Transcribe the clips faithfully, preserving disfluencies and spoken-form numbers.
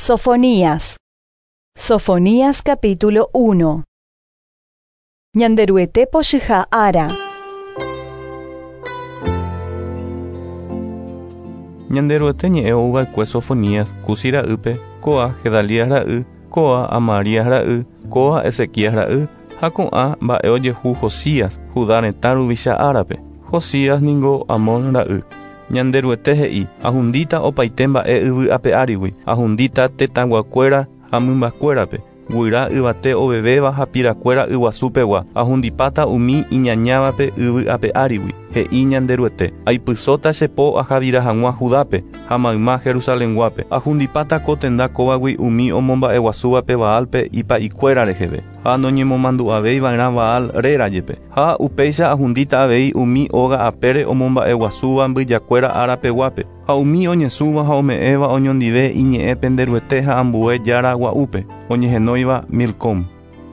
Sofonías. Sofonías capítulo uno. Ñanderuete pochyha ára. Ñanderuete ñe'ẽ ouva'ekue Sofonías, Cusi ra'ýpe, kóa Gedalías ra'y, kóa Amarías ra'y, kóa Ezequías ra'y, ha ko'ã mba'e ojehu Josías, Judá retã ruvicha árape. Josías ningo Amón ra'y. Ñanderuete he'i, ahundíta opaite mba'e yvy ape árigui, ahundíta tetãguakuéra ha mymbakuérape, guyra yvate ovevéva ha pirakuéra yguasúpegua, ahundipáta umi iñañávape yvy ape árigui, he'i Ñanderuete, aipysóta che po ahavira hag̃ua Judápe ha mayma Jerusalenguápe, ahundipáta ko tenda kóvagui umi omomba'eguasúvape Baalpe ipa'ikuéra reheve, ha noñemomandu'avéiva'erã Baal réra jepe, ha upéicha ahundíta avei umi óga apére omomba'eguasúva mbyjakuéra árapeguápe, ha umi oñesũva ha ome'ẽva oñondive iñe'ẽ penderuete ha ambue jára gua'úpe, oñehenóiva Milcom.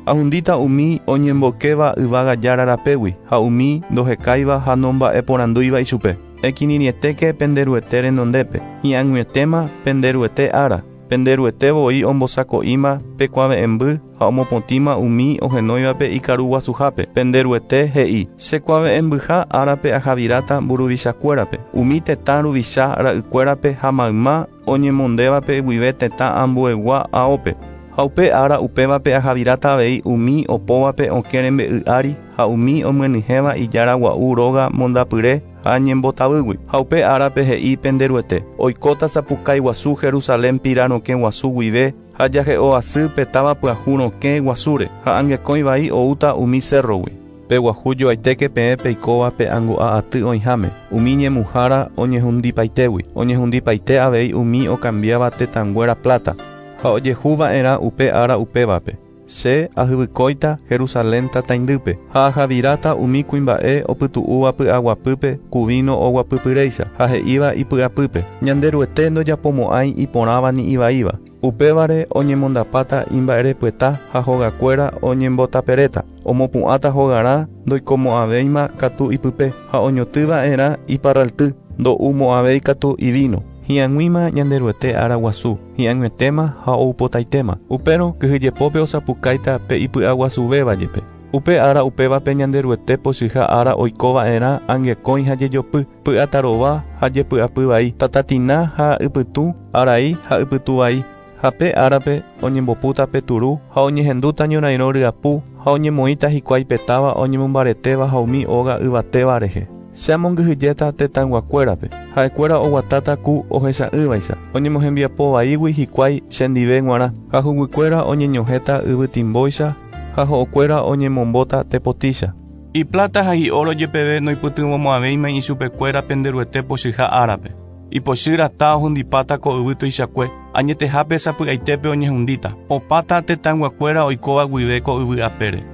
Ahundíta umi oñembokéva yvága jára rapégui, ha umi ndohekáiva ha nomba'eporandúiva ichupe. Ekirirĩetéke penderuete renondépe, hi'ag̃uietéma penderuete ára. Penderuete voi ombosako'íma pekuave'ẽmby ha omopotĩma umi ohenóivape ikaruguasuhápe. Penderuete he'i, chekuave'ẽmbyha árape ahaviráta mburuvichakuérape, umi tetã ruvicha ra'ykuérape ha mayma oñemondévape guive tetã ambuegua aópe. Ha upe ára upévape ahaviráta avei umi opóvape okẽ rembe'y ári ha umi omyenyhẽva ijára gua'u róga mondapyre ha ñembotavýgui. Ha upe árape he'i penderuete, oikóta sapukái guasu Jerusalén pira rokẽ guasu guive ha jahe'o asy pe táva pyahu rokẽ guasúre ha angekõi vai oúta umi cerrogui. Peguahu joaitéke peẽ peikóva pe angu'a aty oĩháme, umi ñemuhára oñehundipaitégui, oñehundipaite avei umi okambiáva tetãnguéra plata, ha ojehuva'erã upe ára upévape. Che ahyvykóita Jerusalén tataindýpe, ha ahaviráta umi kuimba'e opytu'úva py'aguapýpe ku vino oguapypyréicha, ha he'íva ipy'apýpe. Ñanderuete ndojapomo'ãi iporãva ni ivaíva. Upévare oñemondapáta imba'erepyeta ha hogakuéra oñembotaperéta, omopu'ãta hogarã ndoikomo'ãvéima katu ipype, ha oñotỹva'erã iparralty, ndo'umo'ãvéi katu ivino. Hi'ag̃uíma Ñanderuete ára guasu, hi'ag̃uietéma ha oupotaitéma. Upérõ kyhyjepópe osapukáita pe ipy'aguasuvéva jepe. Upe ára upévape Ñanderuete pochyha ára oikova'erã angekõi ha jejopy, py'atarova ha jepy'apy vai, tatatina ha ypytũ, arai ha ypytũ vai. Ha pe árape oñembopúta pe turu ha oñehendúta ñorairõ ryapu ha oñemoĩta hikuái pe táva oñemombaretéva ha umi óga yvatéva rehe. Che amongyhyjéta tetãyguakuérape, ha'ekuéra oguatáta ku ohecha'ỹvaicha, oñemohembiapovaígui hikuái chendive g̃uarã, ha huguykuéra oñeñohẽta yvytimbóicha ha ho'okuéra oñemombóta tepotícha. Iplata ha hi'oro jepeve noipytyvõmo'ãvéima ichupekuéra penderuete pochyha árape. Ipochy rata ohundipáta ko yvy tuichakue, añetehápe sapy'aitépe oñehundíta, opáta tetãyguakuéra oikóva guive ko yvy apére.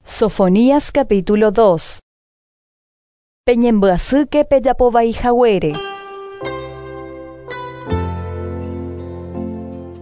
Sofonías capítulo dos. Peñembyasýke pejapovaihaguére.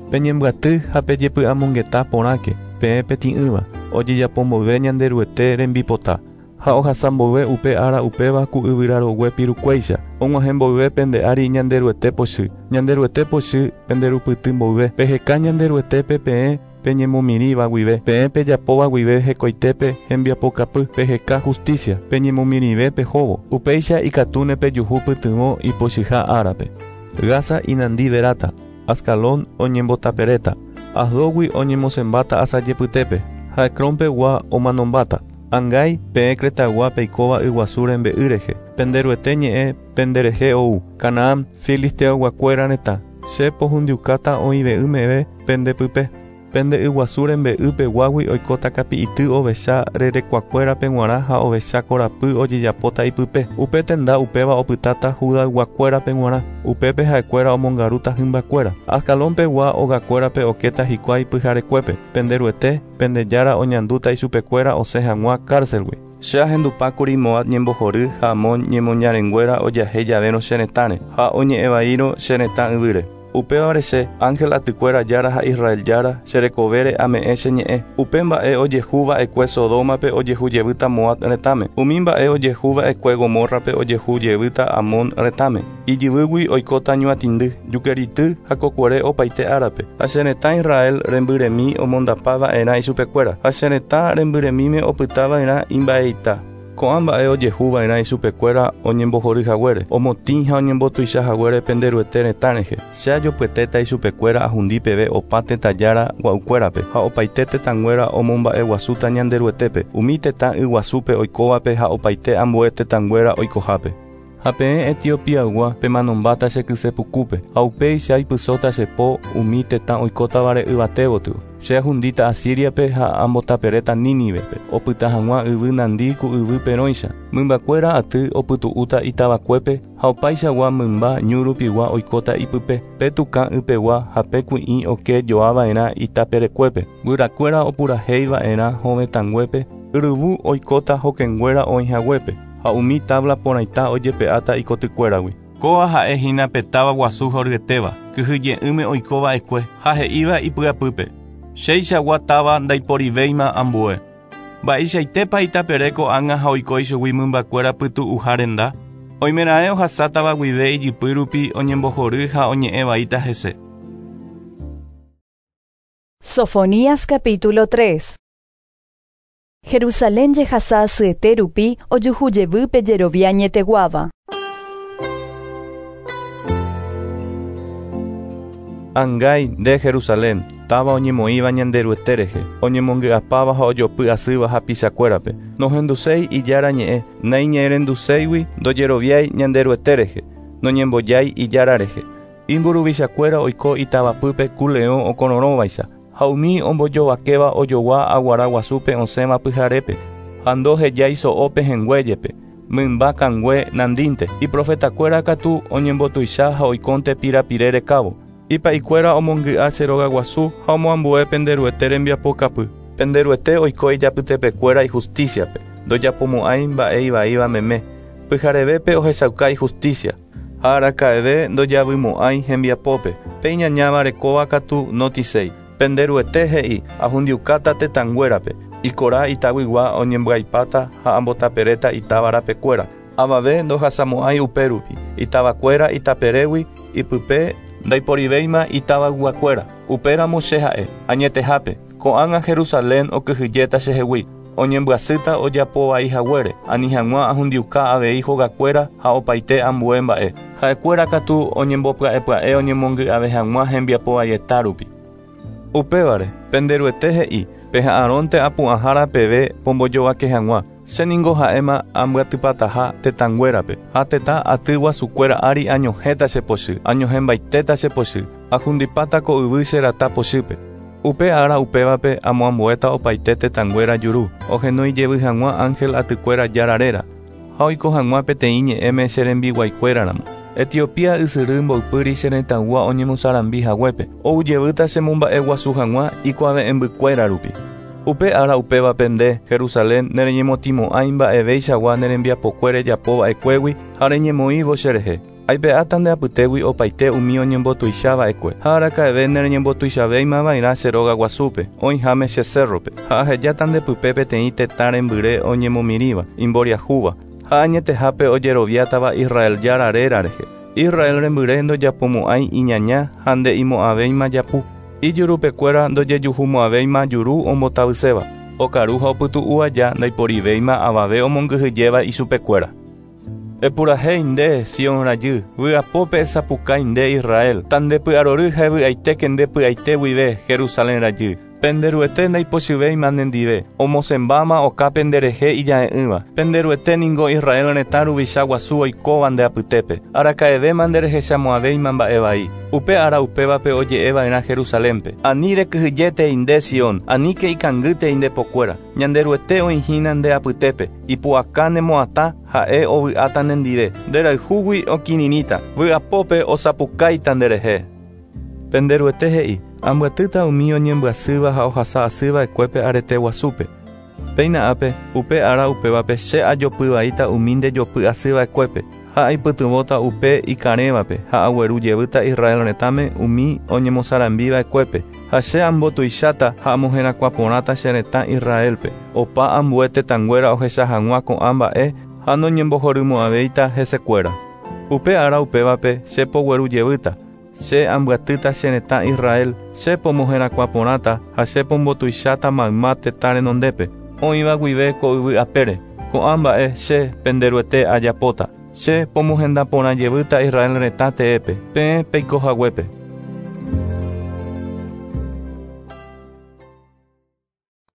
Peñembyaty ha pejepy'amongeta porãke, peẽ peti'ỹva, ojejapomboyve Ñanderuete rembipota, ha ohasa mboyve upe ára upéva ku yvyrarogue pirukuéicha, og̃uahẽ pende ári Ñanderuete pochy, Ñanderuete pochy penderupyty mboyve, peheka Ñanderuetépe peẽ peñemomirĩva guive, peẽ pejapóva guive hekoitépe hembiapokapy, peheka justicia, peñemomirĩve pehóvo, upéicha ikatúne pejuhu pytyvõ ipochyha árape. Gaza inandi veráta, Ascalón oñembotaperéta, Asdógui oñemosẽmbáta asajepytépe, ha Ecrónpegua omanombáta. Angái peẽ Cretagua peikóva yguasu rembe'y rehe, penderuete ñe'ẽ penderehe ou, Canaán, filisteoguakuéra retã, che pohundiukáta oĩve'ỹ meve pendepype. Pende yguasu rembe'ýpeguágui oikóta kapi'ity ovecha rerekuakuérape g̃uarã ha ovecha korapy ojejapóta ipype. Upe tenda upéva opytáta Judayguakuérape g̃uarã, upépe ha'ekuéra omongarúta hymbakuéra. Ascalónpegua ogakuérape okéta hikuái pyharekuépe. Penderuete, pendejára oñandúta ichupekuéra osẽ hag̃ua cárcelgui. Che ahendupákuri Moab ñembohory ha Amón ñemoñarenguéra ojahéi javérõ che retãre ha oñe'ẽvaírõ che retã yvýre. Upévare che, ángel atykuéra jára ha Israel jára, che rekovére ame'ẽ che ñe'ẽ. Upe mba'e ojehuva'ekue Sodomape ojehujevýta Moab retãme. Umi mba'e ojehuva'ekue Gomorrape ojehujevýta Amón retãme. Ijyvýgui oikóta ñuatĩndy, jukerity ha kokuere opaite árape. Ha che retã Israel rembyremi omondapava'erã ichupekuéra. Ha che retã rembyremíme opytava'erã imba'eita. Ko'ã mba'e ojehuva'erã ichupekuéra oñembohoryhaguére, omotĩ ha oñembotuichahaguére penderuete retã rehe. Che ajopyetéta ichupekuéra ahundi peve opa tetã jára gua'ukuérape ha opaite tetãnguéra omomba'eguasúta Ñanderuetépe, umi tetã yguasúpe oikóvape ha opaite ambue tetãnguéra oikohápe. Ha peẽ Etiopiaygua pemanombáta che kysepukúpe, ha upéi che aipysóta che po umi tetã oikótavare yvate gotyo. Che ahundíta Asiriape ha ambotaperéta Nínivepe, opyta hag̃ua yvy nandi ku yvy perõicha. Mymbakuéra aty opytu'úta itavakuépe ha opaichagua mymba ñu rupigua oikóta ipype. Pe tukã ypegua ha pe kui'ĩ oke joava'erã itaperekuépe. Guyrakuéra opurahéiva'erã hovetãnguépe, yryvu oikóta hokẽnguéra oĩhaguépe. Ha umi tabla porãita ojepe'áta ikotykuéragui. Kóa ha'ehína pe táva guasu horyetéva, kyhyje'ỹme oikova'ekue ha he'íva ipy'apýpe. Cheichagua táva ndaiporivéima ambue. Mba'eichaitépa itapere ko'ág̃a ha oiko ichugui mymbakuéra pytu'uha renda. Oimeraẽ ohasátava guive ijypy rupi oñembohory ha oñe'ẽvaíta hese. Sofonías capítulo tres. Jerusalén jehasa asyete rupi ojuhujevýpe jerovia añeteguáva. Angái nde Jerusalén, táva oñemoĩva Ñanderuete rehe, oñemongy'apáva ha ojopy asýva hapichakuérape. Nohenduséi ijára ñe'ẽ, naiñe'ẽrenduséigui ndojeroviái Ñanderuete rehe, noñembojái ijára rehe. Imburuvichakuéra oiko itavapýpe ku leõ okororõvaicha, ha umi ombojovakéva ojogua aguara guasúpe osẽva pyharépe, ha ndohejái so'ópe henguéjepe, mymba kangue nandínte. Iprofetakuéra katu oñembotuicha ha oikónte pirapire rekávo. Ipa'ikuéra omongy'a che róga guasu ha omoambue penderuete rembiapokapy. Penderuete oiko ijapytepekuéra ijusticiape, ndojapomo'ãi mba'e ivaíva meme. Pyharevépe ohechauka ijusticia, ha araka'eve ndojavymo'ãi hembiapópe. Pe iñañáva rekóva katu notiséi. Penderuete he'i ahundiukáta tetãnguérape, ikora itaguigua oñembyaipáta ha ambotaperéta itávarapekuéra. Avave ndohasamo'ãi upérupi, itavakuéra itaperégui ipype ndaiporivéima itavayguakuéra. Upéramo che ha'e, añetehápe, ko'ág̃a Jerusalén okyhyjéta chehegui, oñembyasýta ojapovaihaguére, ani hag̃ua ahundiuka avei hogakuéra ha opaite ambue mba'e. Ha'ekuéra katu oñembopya'epya'e oñemongy'ave hag̃ua hembiapovaieta rupi. Upévare, penderuete he'i, peha'arõnte apu'ãhára peve pombojovake hag̃ua. Che ningo ha'éma ambyatypataha tetãnguérape, ha tetã aty guasukuéra ári añohẽta che pochy, añohẽmbaitéta che pochy, ahundipáta ko yvy che rata pochýpe. Upe ára upévape amoambuéta opaite tetãnguéra juru, ohenói jevy hag̃ua ángel atykuéra jára réra, ha oiko hag̃ua peteĩ ñe'ẽme che rembiguaikuéraramo. Etiopía ysyry mboypýri che retãygua oñemosarambi haguépe, oujevýta che momba'eguasu hag̃ua ikuave'ẽmbykuéra rupi. Upe ára upévape nde, Jerusalén, nereñemotĩmo'ãi mba'eveichagua nerembiapokuére japova'ekuégui ha reñemoĩvo che rehe. Aipe'áta nde apytégui opaite umi oñembotuichava'ekue, ha araka'eve nereñembotuichavéimava'erã che róga guasúpe, oĩháme che cerrope, ha ahejáta ndepype peteĩ tetã rembyre oñemomirĩva, imboriahúva, ha añetehápe ojeroviátava Israel jára réra rehe. Israel rembyre ndojapomo'ãi iñaña ha nde'imo'ãvéima japu. Ijurupekuéra ndojejuhumo'ãvéima juru ombotavyséva. Okaru ha opytu'u aja ndaiporivéima avave omongyhyjéva ichupekuéra. Epurahéi nde, Sion rajy, vy'apópe esapukái nde Israel, tandepy'arory ha evy'aitéke nde py'aite guive, Jerusalén rajy. Penderuete ndaipochyvéima nendive, omosẽmbáma okápe nderehe ija'e'ỹva. Penderuete ningo Israel retã ruvicha guasu oikóva nde apytépe. Araka'evéma nderehechamo'ãvéima mba'e vai. Upe ára upévape oje'eva'erã Jerusalénpe. Ani rekyhyjétei nde Sion, aníke ikangýtei nde pokuéra. Ñanderuete oĩhína nde apytépe, ipu'aka nemo'atã ha'e ovy'áta nendive. Nderayhúgui okirirĩta, vy'apópe osapukáita nderehe. Penderuete he'i, ambyatýta umi oñembyasýva ha ohasa asýva'ekuépe arete guasúpe. Péina ápe, upe ára upévape che ajopyvaíta umi ndejopy asýva'ekuépe, Ha aipytyvõta upe ikarẽvape ha agueru jevýta Israel retãme umi oñemosarambiva'ekuépe. Ha che ambotuicháta ha amoherakuãporãta che retã Israelpe. Opa ambue tetãnguéra ohecha hag̃ua ko'ã mba'e ha noñembohorymo'ãvéita hesekuéra. Upe ára upévape che pogueru jevýta. Che ambyatýta che retã Israel, che pomoherakuãporãta ha che pombotuicháta mayma tetã renondépe. Oĩva guive ko yvy apére. Ko'ã mba'e che pende Ruete ajapóta. Che pomohendaporã jevýta Israel retã teépe. Peẽ peikohaguépe.